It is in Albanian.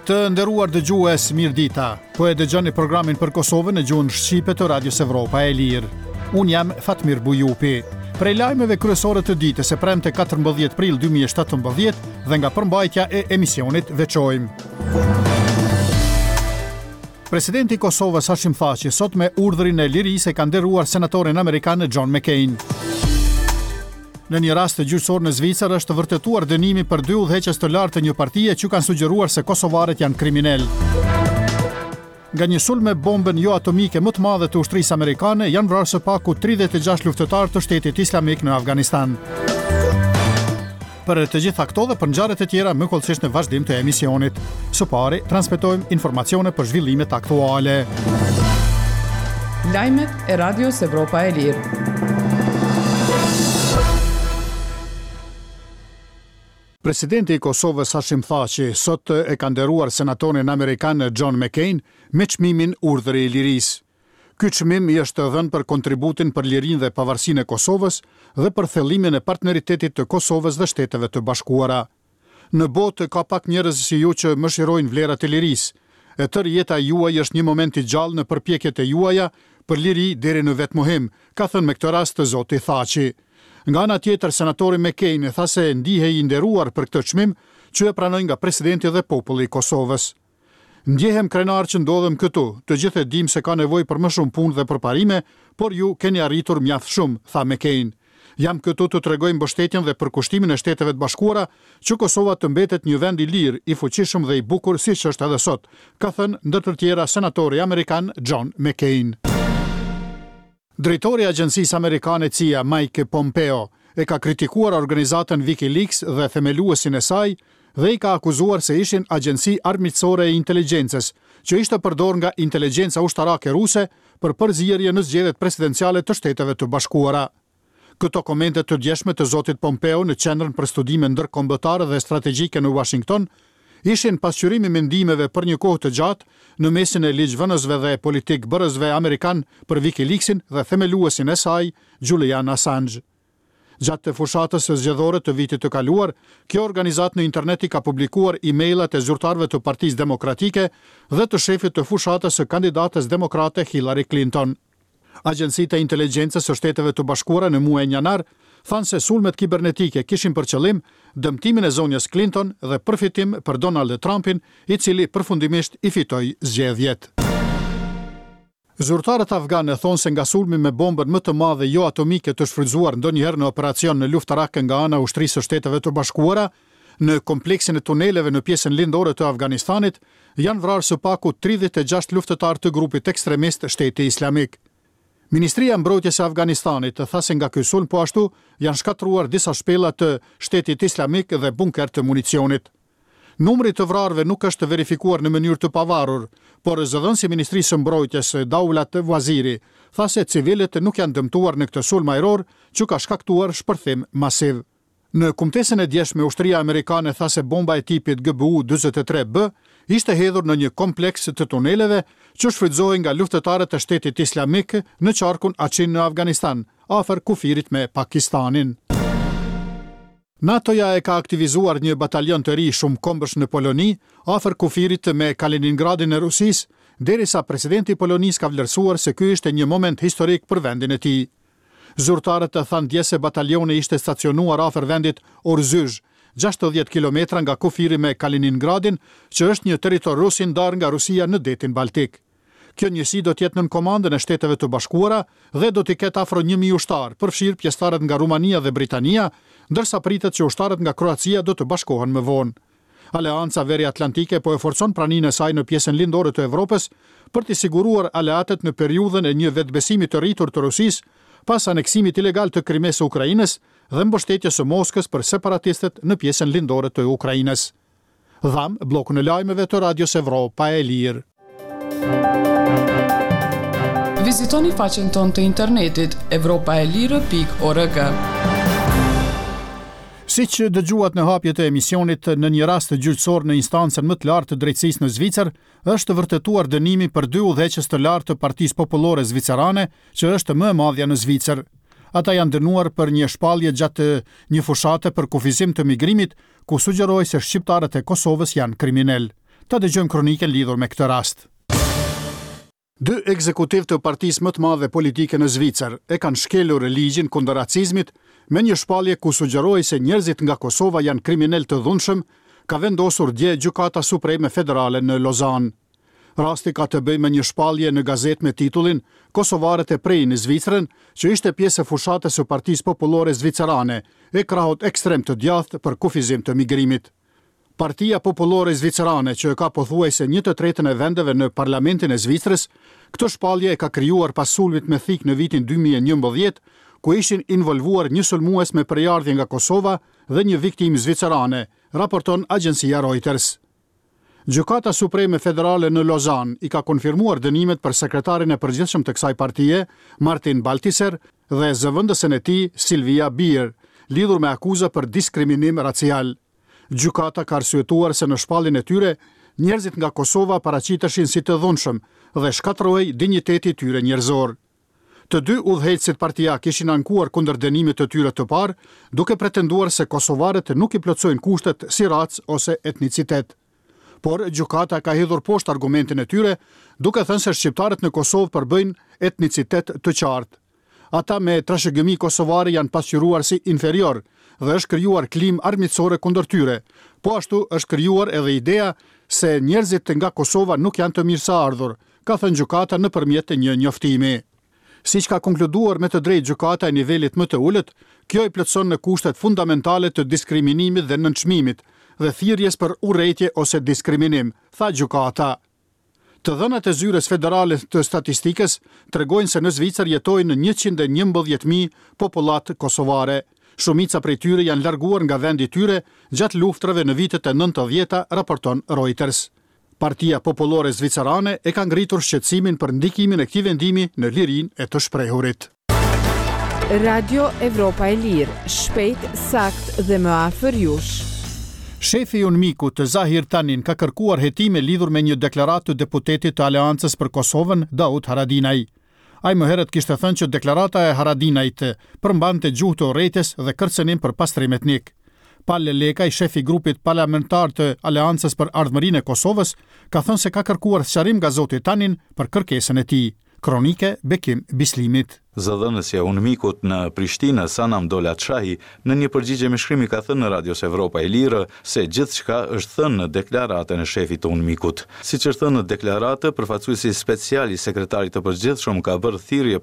Të nderuar dëgjues, mirëdita. Po e dëgjoni programin për Kosovën në gjuhën shqipe të Radios Evropa e Lirë. Unë jam Fatmir Bujupi. Prej lajmeve kryesore të ditës së premte 14 prill 2017 dhe nga përmbajtja e emisionit veçojmë. Presidenti i Kosovës Hashim Thaçi sot me urdhrin e lirisë e ka nderuar senatorin amerikan John McCain. Në një rast gjyqësor në Zvicër është vërtetuar dënimi për dy udhëheqës të lartë të një partie që kanë sugjeruar se kosovarët janë kriminelë. Nga një sulm me bombën joatomike më të madhe të ushtrisë amerikane janë vrarë së paku 36 luftëtarë të Shtetit Islamik në Afganistan. Për të gjitha këto dhe për ngjarjet e tjera më hollësisht në vazhdim të emisionit. Së pari, transmetojmë informacione për zhvillimet aktuale. Lajmet e Radios Evropa e Lirë. Presidenti i Kosovës Hashim Thaçi sot e ka nderuar senatorin amerikan John McCain me çmimin Urdhri i Lirisë. Ky çmim i është dhënë për kontributin për lirinë dhe pavarësinë e Kosovës dhe për thellimin e partneritetit të Kosovës dhe Shteteve të Bashkuara. Në botë ka pak njerëz si ju që mëshirojnë vlerat e lirisë. E tërë jeta juaj është një moment i gjallë në përpjekjet e juaja për liri deri në vetëmohim, ka thënë me këtë rast zoti Thaçi. Nga ana tjetër, senatori McCain tha se ndihej i nderuar për këtë çmim që e pranoi nga presidenti dhe populli i Kosovës. Ndjehem krenar që ndodhem këtu, të gjithë e dimë se ka nevojë për më shumë punë dhe përparime, por ju keni arritur mjaft shumë, tha McCain. Jam këtu të tregoj mbështetjen dhe përkushtimin e Shteteve të Bashkuara që Kosova të mbetet një vend i lirë, i fuqishëm dhe i bukur siç është edhe sot, ka thënë ndër të tjera senatori amerikan John McCain. Drejtori i agjencisë amerikane CIA, Mike Pompeo, e ka kritikuar organizatën WikiLeaks dhe themeluesin e saj dhe i ka akuzuar se ishin agjenci armiqësore e inteligjencës, që ishte përdorë nga inteligjenca ushtarake ruse për përzierje në zgjedhjet presidenciale të Shteteve të Bashkuara. Këto komente të djeshme të zotit Pompeo në Qendrën për Studime Ndërkombëtare dhe Strategjike në Uashington ishin pasqyrim i mendimeve për një kohë të gjatë në mesin e ligjvënësve dhe politikëbërësve amerikanë për WikiLeaks-in dhe themeluesin e saj, Julian Assange. Gjatë fushatës zgjedhore të vitit të kaluar, kjo organizatë në internet i ka publikuar e-mailat e zyrtarëve të Partisë Demokratike dhe të shefit të fushatës së kandidates demokrate Hillary Clinton. Agjencitë e inteligjencës së Shteteve të Bashkuara në muajin janar thanë se sulmet kibernetike kishin për qëllim dëmtimin e zonjës Clinton dhe përfitim për Donald Trumpin, i cili përfundimisht i fitoi zgjedhjet. Zyrtarët afganë thonë se nga sulmi me bombën më të madhe joatomike të shfrytëzuar ndonjëherë në operacion luftarak nga ana e Ushtrisë së Shteteve të Bashkuara, Në kompleksin e tuneleve në pjesën lindore të Afganistanit janë vrarë së paku 36 luftëtarë të grupit ekstremist Shteti Islamik. Ministria e Mbrojtjes e Afganistanit tha se nga ky sulm po ashtu janë shkatërruar disa shpella të Shtetit Islamik dhe bunkerë të municionit. Numri i të vrarëve nuk është verifikuar në mënyrë të pavarur, por zëdhënësi i Ministrisë së Mbrojtjes, Daulat Waziri, tha se civilët nuk janë dëmtuar në këtë sulm ajror që ka shkaktuar shpërthim masiv. Në kumtesën e djeshme ushtria amerikane tha se bomba e tipit GBU 43 B ishte hedhur në një kompleks të tuneleve që shfrytëzohej nga luftëtarët e Shtetit Islamik në qarkun Achin në Afganistan, afër kufirit me Pakistanin. NATO-ja e ka aktivizuar një batalion të ri shumëkombësh në Poloni, afër kufirit me Kaliningradin e Rusisë, derisa presidenti i Polonisë ka vlerësuar se ky ishte një moment historik për vendin e tij. Zyrtarët thanë dje se batalioni ishte stacionuar afër vendit Orzyzh, 60 kilometra nga kufiri me Kaliningradin, që është një territor rus i ndarë nga Rusia në Detin Baltik. Kjo njësi do të jetë nën komandën e Shteteve të Bashkuara dhe do t'i ketë afro 1000 ushtarë, përfshirë pjesëtarët nga Rumania dhe Britania, ndërsa pritet që ushtarët nga Kroacia do të bashkohen më vonë. Aleanca Veriatlantike po e forcon praninë e saj në pjesën lindore të Evropës për t'i siguruar aleatët në periudhën e një vetëbesimi të rritur të Rusisë pas aneksimit ilegal të Krimesë së Ukrainës dhe mbështetjes së Moskës për separatistët në pjesën lindore të Ukrainës. Dhamë bllokun e lajmeve të Radios Evropa e Lirë. Vizitoni faqen tonë të internetit evropaelire.org. Siç dëgjuat në hapje të emisionit, në një rast gjyqësor në instancën më të lartë të drejtësisë në Zvicër, është vërtetuar dënimi për dy udhëheqës të lartë të Partisë Popullore Zvicerane, që është më e madhja në Zvicër. Ata janë dënuar për një shpallje gjatë një fushate për kufizim të migrimit, ku sugjerohej se shqiptarët e Kosovës janë kriminelë. Ta dëgjojmë kronikën lidhur me këtë rast. Dy ekzekutivë të partisë më të madhe politike në Zvicër e kanë shkelur ligjin kundër racizmit me një shpallje ku sugjerohej se njerëzit nga Kosova janë kriminelë të dhunshëm, ka vendosur dje Gjykata Supreme Federale në Lozanë. Rasti ka të bëjë me një shpallje në gazetë me titullin Kosovarët e prejnë Zvicrën, që ishte pjesë e fushatës së Partisë Popullore Zvicerane, e krahut ekstrem të djathtë për kufizim të migrimit. Partia Popullore Zvicerane, që e ka pothuajse një të tretën e vendeve në Parlamentin e Zvicrës, këtë shpallje e ka krijuar pas sulmit me thikë në vitin 2011, ku ishin involvuar një sulmues me prejardhje nga Kosova dhe një viktimë zvicerane, raporton agjencia Reuters. Gjykata Supreme Federale në Lozanë i ka konfirmuar dënimet për sekretarin e përgjithshëm të kësaj partie, Martin Baltiser, dhe zëvendësen e tij, Silvia Beer, lidhur me akuza për diskriminim racial. Gjykata ka arsyetuar se në shpalljen e tyre, njerëzit nga Kosova paraqiteshin si të dhunshëm dhe shkatërrohej dinjiteti i tyre njerëzor. Të dy udhëheqësit partiakë ishin ankuar kundër dënimit të tyre të parë, duke pretenduar se kosovarët nuk i plotësojnë kushtet si racë ose etnicitet. Por, gjykata ka hedhur poshtë argumentin e tyre, duke thënë se shqiptarët në Kosovë përbëjnë etnicitet të qartë. Ata me trashëgimi kosovare janë pasqyruar si inferiorë dhe është krijuar klimë armiqësore kundër tyre. Po ashtu është krijuar edhe ideja se njerëzit nga Kosova nuk janë të mirëseardhur, ka thënë gjykata nëpërmjet një njoftimi. Siç ka konkluduar me të drejtë gjykata e nivelit më të ulët, kjo i plotëson në kushtet fundamentale të diskriminimit dhe nënçmimit dhe thirrjes për urrejtje ose diskriminim, tha gjykata. Të dhënat e Zyrës Federale të Statistikës tregojnë se në Zvicër jetojnë 111.000 popullatë kosovare. Shumica prej tyre janë larguar nga vendi i tyre gjatë luftërave në vitet e nëntëdhjeta, raporton Reuters. Partia Popullore Zvicerane e ka ngritur shqetësimin për ndikimin e këtij vendimi në lirinë e të shprehurit. Radio Evropa e Lirë, shpejt, saktë dhe më afër jush. Shefi i UNMIK-ut, Zahir Tanin, ka kërkuar hetime lidhur me një deklaratë të deputetit të Aleancës për Kosovën, Daut Haradinaj. Ai më herët kishte thënë që deklarata e Haradinajt përmbante gjuhë të urrejtjes dhe kërcënim për pastrim etnik. Pal Lekaj, shef i grupit parlamentar të Aleancës për Ardhmërinë e Kosovës, ka thënë se ka kërkuar sqarim nga zoti Tanin për kërkesën e tij. Kronikë Bekim Bislimit. Zëdhënësja e UNMIK-ut në Prishtinë, Sanam Dowlatshahi, në një përgjigje me shkrim i ka thënë Radios Evropa e Lirë se gjithçka është thënë në deklaratën e shefit të UNMIK-ut. Siç është thënë në deklaratë, përfaqësuesi special i Sekretarit të Përgjithshëm ka bërë thirrje.